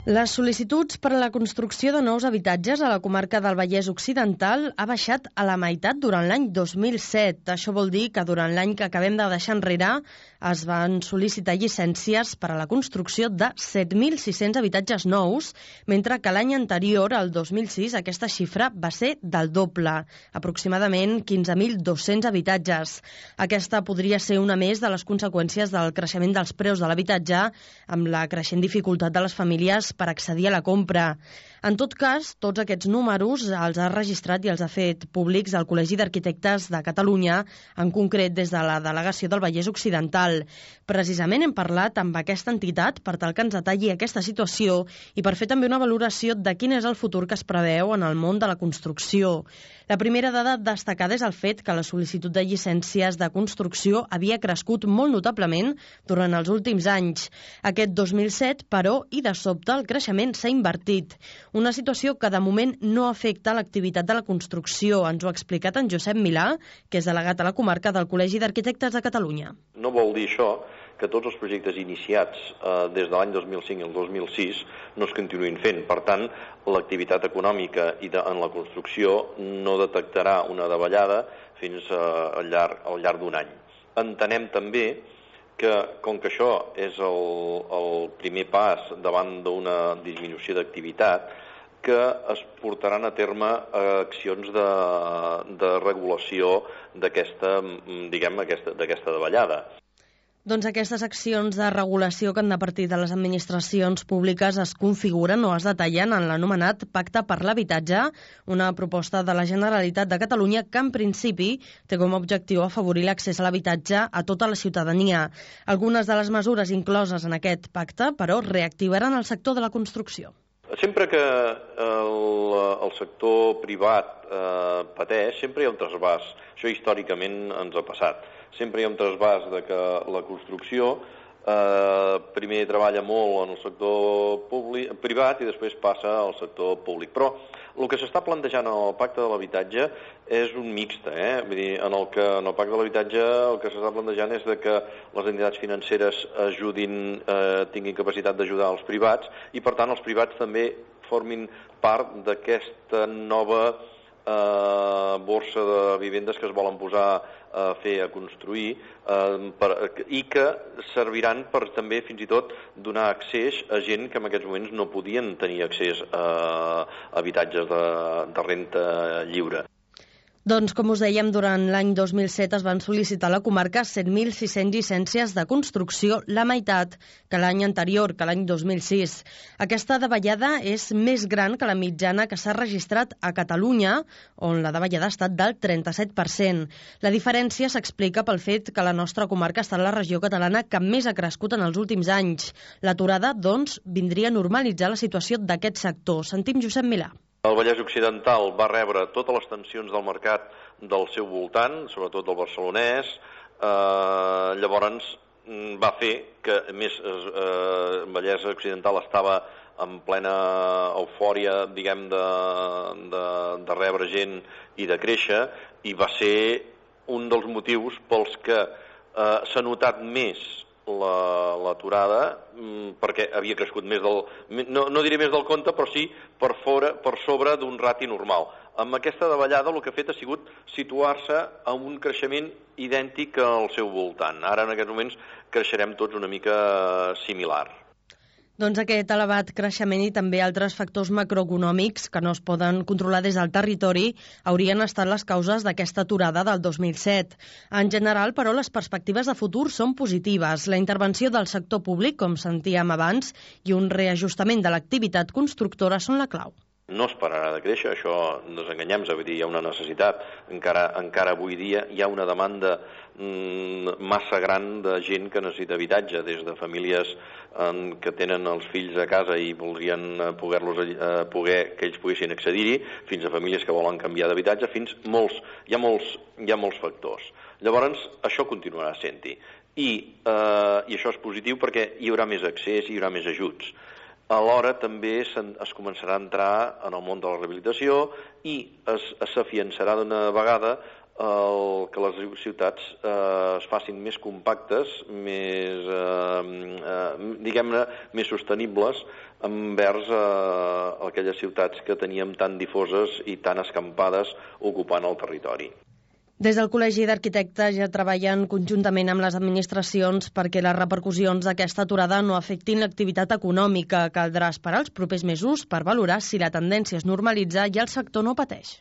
Les sol·licituds per a la construcció de nous habitatges a la comarca del Vallès Occidental ha baixat a la meitat durant l'any 2007. Això vol dir que durant l'any que acabem de deixar enrere es van sol·licitar llicències per a la construcció de 7.600 habitatges nous, mentre que l'any anterior, el 2006, aquesta xifra va ser del doble, aproximadament 15.200 habitatges. Aquesta podria ser una més de les conseqüències del creixement dels preus de l'habitatge amb la creixent dificultat de les famílies per accedir a la compra. En tot cas, tots aquests números els ha registrat i els ha fet públics el Col·legi d'Arquitectes de Catalunya, en concret des de la delegació del Vallès Occidental. Precisament hem parlat amb aquesta entitat per tal que ens detalli aquesta situació i per fer també una valoració de quin és el futur que es preveu en el món de la construcció. La primera dada destacada és el fet que la sol·licitud de llicències de construcció havia crescut molt notablement durant els últims anys. Aquest 2007, però, i de sobte, el creixement s'ha invertit. Una situació que de moment no afecta l'activitat de la construcció. Ens ho ha explicat en Josep Milà, que és delegat a la comarca del Col·legi d'Arquitectes de Catalunya. No vol dir això que tots els projectes iniciats des de l'any 2005 al 2006 no es continuïn fent. Per tant, l'activitat econòmica en la construcció no detectarà una davallada fins al llarg d'un any. Entenem també que, com que això és el primer pas davant d'una disminució d'activitat, que es portaran a terme accions de regulació d'aquesta davallada. Doncs aquestes accions de regulació que han de partir de les administracions públiques es configuren o es detallen en l'anomenat Pacte per l'Habitatge, una proposta de la Generalitat de Catalunya que en principi té com a objectiu afavorir l'accés a l'habitatge a tota la ciutadania. Algunes de les mesures incloses en aquest pacte, però, reactivaran el sector de la construcció. Sempre que el sector privat pateix, sempre hi ha un trasbàs. Això històricament ens ha passat. Sempre hi ha un trasbàs de que la construcció primer treballa molt en el sector privat i després passa al sector públic. Però el que s'està plantejant en el Pacte de l'Habitatge és un mixte. Vull dir, en el Pacte de l'Habitatge el que s'està plantejant és que les entitats financeres tinguin capacitat d'ajudar els privats i, per tant, els privats també formin part d'aquesta nova borsa de vivendes que es volen posar a construir i que serviran per també fins i tot donar accés a gent que en aquests moments no podien tenir accés a habitatges de renta lliure. Doncs, com us dèiem, durant l'any 2007 es van sol·licitar a la comarca 7.600 llicències de construcció, la meitat que l'any anterior, que l'any 2006. Aquesta davallada és més gran que la mitjana que s'ha registrat a Catalunya, on la davallada ha estat del 37%. La diferència s'explica pel fet que la nostra comarca està en la regió catalana que més ha crescut en els últims anys. L'aturada, doncs, vindria a normalitzar la situació d'aquest sector. Sentim Josep Milà. El Vallès Occidental va rebre totes les tensions del mercat del seu voltant, sobretot del barcelonès. Llavors va fer que, a més, el Vallès Occidental estava en plena eufòria, diguem, de rebre gent i de créixer, i va ser un dels motius pels que s'ha notat més l'aturada, perquè havia crescut més no diré més del compte, però sí per sobre d'un rati normal. Amb aquesta davallada el que ha fet ha sigut situar-se a un creixement idèntic al seu voltant. Ara en aquests moments creixerem tots una mica similar. Doncs aquest elevat creixement i també altres factors macroeconòmics que no es poden controlar des del territori haurien estat les causes d'aquesta aturada del 2007. En general, però, les perspectives de futur són positives. La intervenció del sector públic, com sentíem abans, i un reajustament de l'activitat constructora són la clau. No es pararà de créixer, això no ens enganyem, és a dir, hi ha una necessitat. Encara avui dia hi ha una demanda massa gran de gent que necessita habitatge, des de famílies que tenen els fills a casa i voldrien que ells poguessin accedir-hi, fins a famílies que volen canviar d'habitatge, hi ha molts factors. Llavors, això continuarà sent-hi. I això és positiu perquè hi haurà més accés, hi haurà més ajuts. Alhora també es començarà a entrar en el món de la rehabilitació i s'afiançarà d'una vegada que les ciutats es facin més compactes, més, diguem-ne, més sostenibles envers aquelles ciutats que teníem tan difoses i tan escampades ocupant el territori. Des del Col·legi d'Arquitectes ja treballen conjuntament amb les administracions perquè les repercussions d'aquesta aturada no afectin l'activitat econòmica. Caldrà esperar els propers mesos per valorar si la tendència es normalitza i el sector no pateix.